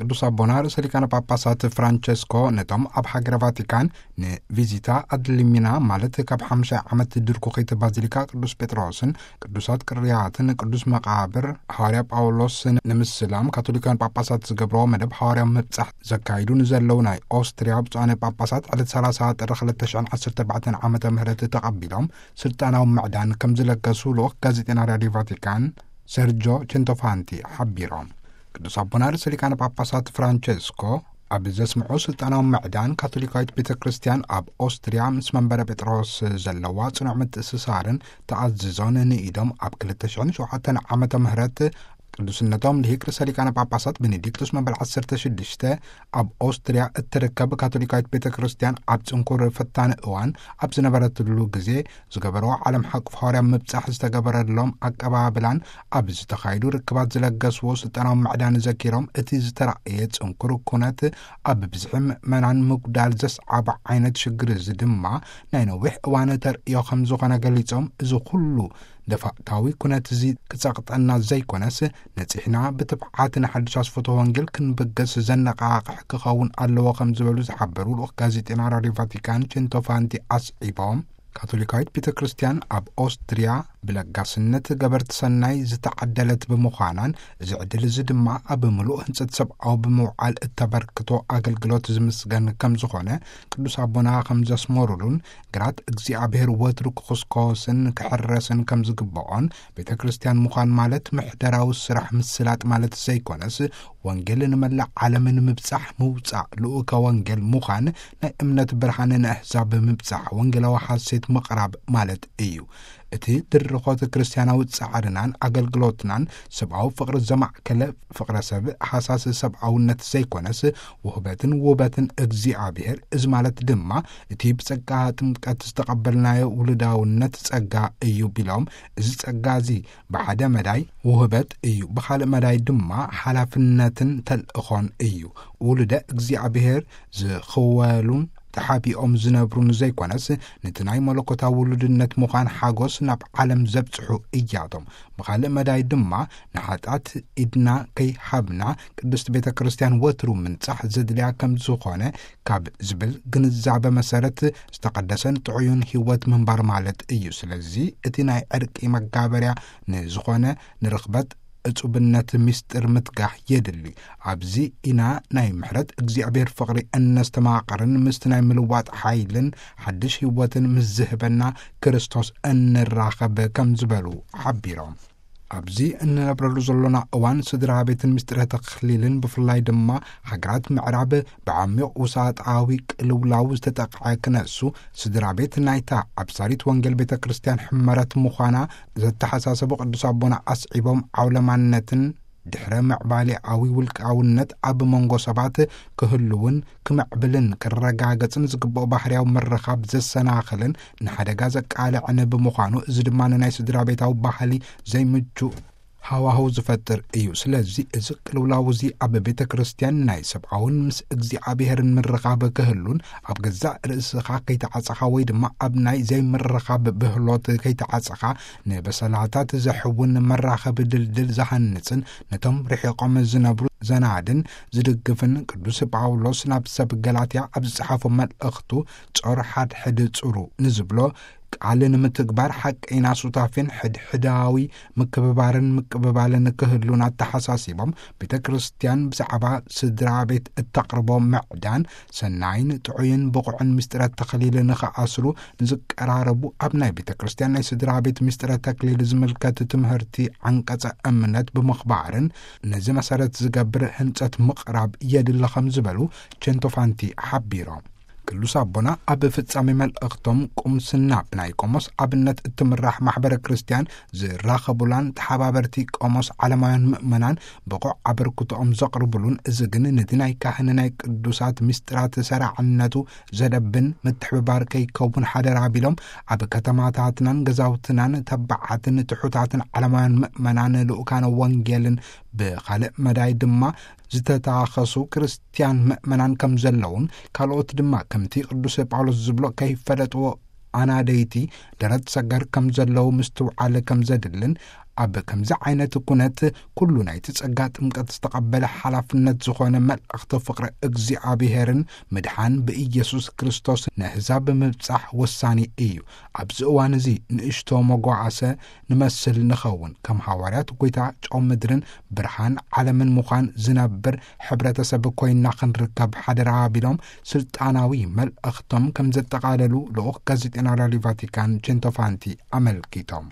ቅዱስ ኣቦና ርእሰ ሊቃነ ጳጳሳት ፍራንቸስኮ ነቶም ኣብ ሃገረ ቫቲካን ንቪዚታ ኣድሊሚና፣ ማለት ካብ ሓምሻይ ዓመት ድርኩኺት ባዚሊካ ቅዱስ ጴጥሮስን ቅዱሳት ቅርያትን ቅዱስ መቓብር ሃዋርያ ጳውሎስ ንምስላም ካቶሊካውያን ጳጳሳት ዝገብርዎ መደብ ሃዋርያዊ ምብጻሕ ዘካይዱ ንዘለዉ ናይ ኦስትርያ ብፁዓነ ጳጳሳት ዕለት ሰላሳ ጥሪ ክልተ ሽሕን ዓሰርተ ኣርባዕተን ዓመተ ምህረት ተቐቢሎም ስልጣናዊ ምዕዳን ከም ዝለገሱ ልኡኽ ጋዜጠና ራድዮ ቫቲካን ሰርጆ ቸንቶፋንቲ ሓቢሮም። ቅዱስ ኣቦና ርእሰ ሊቃነ ጳጳሳት ፍራንቸስኮ ኣብ ዘስምዑ ስልጣናዊ ምዕዳን፣ ካቶሊካዊት ቤተ ክርስቲያን ኣብ ኦስትርያ ምስ መንበረ ጴጥሮስ ዘለዋ ጽኑዕ ምትእስሳርን ተኣዝዞን ንኢዶም፣ ኣብ ክልተ ሽሕን ሸውዓተን ዓመተ ምህረት ቅዱስነቶም ልሂቅ ርእሰ ሊቃነ ጳጳሳት ቤኔዲክቱስ መበል ዓሰርተ ሽዱሽተ ኣብ ኦስትርያ እትርከብ ካቶሊካዊት ቤተ ክርስቲያን ኣብ ጽንኩር ፈታኒ እዋን ኣብ ዝነበረትሉ ግዜ ዝገበርዎ ዓለም ሓቁፍ ሃዋርያ ምብጻሕ ዝተገበረሎም ኣቀባብላን ኣብ ዝተኻየዱ ርክባት ዝለገስዎ ስልጣናዊ ምዕዳን ዘኪሮም፣ እቲ ዝተራእየ ጽንኩር ኩነት ኣብ ብዝሒ ምእመናን ምጉዳል ዘስዓቦ ዓይነት ሽግር እዚ ድማ ናይ ነዊሕ እዋን ተርእዮ ከም ዝኾነ ገሊጾም፣ እዚ ኩሉ ደፋእታዊ ኩነት እዚ ክጸቕጠና ዘይኮነስ፣ ነጺሕና ብትብዓት ንሓድሽ ኣስፈቶ ወንጌል ክንብገስ ዘነቓቕሕ ክኸውን ኣለዎ ከም ዝበሉ ዝሓበሩ ልኡኽ ጋዜጠና ራድዮ ቫቲካን ቼንቶፋንቲ ኣስዒቦም፣ ካቶሊካዊት ቤተ ክርስቲያን ኣብ ኦስትርያ ብለጋስነት ገበርቲ ሰናይ ዝተዓደለት ብምዃናን፣ እዚ ዕድል እዚ ድማ ኣብ ምሉእ ህንጸት ሰብኣዊ ብምውዓል እተበርክቶ ኣገልግሎት ዝምስገን ከም ዝኾነ ቅዱስ ኣቦና ከም ዘስመሩሉን፣ ግራት እግዚኣብሔር ወትሩ ክኹስኮስን ክሕረስን ከም ዝግብኦን፣ ቤተ ክርስቲያን ምዃን ማለት ምሕደራዊ ስራሕ ምስላጥ ማለት ዘይኮነስ፣ ወንጌል ንመላእ ዓለም ንምብጻሕ ምውጻእ፣ ልኡከ ወንጌል ምዃን፣ ናይ እምነት ብርሃን ንኣህዛብ ምብጻሕ፣ ወንጌላዊ ሓሴት ምቕራብ ማለት እዩ። እቲ ድርኾት ክርስትያናዊ ጻዕርናን ኣገልግሎትናን ሰብኣዊ ፍቕሪ ዘማእከለ፣ ፍቕረ ሰብ፣ ሃሳስ ሰብኣውነት ዘይኮነስ፣ ውህበትን ውበትን እግዚኣብሔር፣ እዚ ማለት ድማ እቲ ብጸጋ ጥምቀት ዝተቐበልናዮ ውሉዳውነት ጸጋ እዩ ቢሎም፣ እዚ ጸጋ እዚ ብሓደ መዳይ ውህበት እዩ፣ ብኻልእ መዳይ ድማ ሓላፍነትን ተልእኾን እዩ። ውሉደ እግዚኣብሔር ዝኽወሉን ተሓቢኦም ዝነብሩን ዘይኮነስ፣ ነቲ ናይ መለኮታዊ ውሉድነት ምዃን ሓጎስ ናብ ዓለም ዘብጽሑ እያቶም። ብኻልእ መዳይ ድማ ንሓጢኣት ኢድና ከይሃብና ቅድስቲ ቤተ ክርስቲያን ወትሩ ምንጻሕ ዘድልያ ከም ዝኾነ ካብ ዝብል ግንዛበ መሰረት፣ ዝተቐደሰን ጥዑይን ህይወት ምንባር ማለት እዩ። ስለዚ እቲ ናይ ዕርቂ መጋበርያ ንዝኾነ ንርኽበት ዕጹብነት ምስጢር ምትጋህ የድሊ። ኣብዚ ኢና ናይ ምሕረት እግዚኣብሔር ፍቕሪ እነስተማቕርን ምስቲ ናይ ምልዋጥ ሓይልን ሓድሽ ህይወትን ምስ ዝህበና ክርስቶስ እንራኸብ ከም ዝበሉ ሓቢሮም። ኣብዚ እንነብረሉ ዘሎና እዋን ስድራ ቤትን ምስጢረ ተኽሊልን ብፍላይ ድማ ሃገራት ምዕራብ ብዓሚቕ ውሳጣዊ ቅልውላው ዝተጠቕዐ ክነሱ፣ ስድራ ቤት ናይታ ኣብ ሳሪት ወንጌል ቤተ ክርስቲያን ሕመረት ምዃና ዘተሓሳሰቡ ቅዱስ ኣቦና ኣስዒቦም፣ ዓውለማነትን ድሕረ ምዕባሌኣዊ ውልቃውነት ኣብ መንጎ ሰባት ክህልውን ክምዕብልን ክረጋገጽን ዝግብኦ ባህርያዊ ምርኻብ ዘሰናኽልን ንሓደጋ ዘቃልዕን ብምዃኑ፣ እዚ ድማ ንናይ ስድራ ቤታዊ ባህሊ ዘይምቹ ሃዋህው ዝፈጥር እዩ። ስለዚ እዚ ቅልውላው እዚ ኣብ ቤተ ክርስቲያን ናይ ሰብኣውን ምስ እግዚኣብሔርን ምርኻብ ክህሉን፣ ኣብ ገዛእ ርእስኻ ከይተዓጸኻ ወይ ድማ ኣብ ናይ ዘይምርኻብ ብህሎት ከይተዓጸኻ፣ ንበሰላታት ዘሕውን መራኸቢ ድልድል ዝሃንጽን ነቶም ርሒቖም ዝነብሩ ዘናድን ዝድግፍን፣ ቅዱስ ጳውሎስ ናብ ሰብ ገላትያ ኣብ ዝጸሓፎ መልእኽቱ፣ ጾር ሓድሕድ ጽሩ ንዝብሎ ቃል ንምትግባር ሓቀይና ሱታፌን ሕድሕዳዊ ምክብባርን ምቅብባልን ክህሉን ኣተሓሳሲቦም፣ ቤተ ክርስቲያን ብዛዕባ ስድራ ቤት እተቕርቦ ምዕዳን ሰናይን ጥዑይን ብቑዕን ምስጢረ ተኽሊል ንኽኣስሩ ንዝቀራረቡ፣ ኣብ ናይ ቤተ ክርስቲያን ናይ ስድራ ቤት ምስጢረ ተክሊል ዝምልከት ትምህርቲ ዓንቀጸ እምነት ብምኽባርን ነዚ መሰረት ዝገብር ህንጸት ምቕራብ የድሊ ከም ዝበሉ ቼንቶፋንቲ ሓቢሮም። ቅዱስ ኣቦና ኣብ ፍጻሜ መልእኽቶም፣ ቁምስና ብናይ ቆሞስ ኣብነት እትምራሕ ማሕበረ ክርስቲያን ዝራኸቡላን ተሓባበርቲ ቆሞስ ዓለማውያን ምእመናን ብቑዕ ኣበርክቶኦም ዘቕርቡሉን፣ እዚ ግን ነቲ ናይ ካህን ናይ ቅዱሳት ምስጢራት ሰራዕነቱ ዘደብን ምትሕብባር ከይከውን ሓደራ ቢሎም፣ ኣብ ከተማታትናን ገዛውትናን ተባዓትን ትሑታትን ዓለማውያን ምእመናን ልኡካነ ወንጌልን ብኻልእ መዳይ ድማ ዝተታኸሱ ክርስትያን ምእመናን ከም ዘለውን፣ ካልኦት ድማ ከምቲ ቅዱስ ጳውሎስ ዝብሎ ከይፈለጥዎ ኣናደይቲ ደረት ሰገር ከም ዘለዉ ምስትውዓል ከም ዘድልን፣ ኣብ ከምዚ ዓይነት ኩነት ኩሉ ናይቲ ጸጋ ጥምቀት ዝተቐበለ ሓላፍነት ዝኾነ መልእኽቲ ፍቕሪ እግዚኣብሔርን ምድሓን ብኢየሱስ ክርስቶስ ንሕዛብ ምብጻሕ ወሳኒ እዩ። ኣብዚ እዋን እዚ ንእሽቶ መጓዓሰ ንመስል ንኸውን። ከም ሃዋርያት ጎይታ ጨው ምድርን ብርሃን ዓለምን ምዃን ዝነብር ሕብረተሰብ ኮይና ክንርከብ ሓደራ ቢሎም ስልጣናዊ መልእኽቶም ከም ዘጠቓለሉ ልኡኽ ጋዜጠና ራድዮ ቫቲካን ቼንቶፋንቲ ኣመልኪቶም።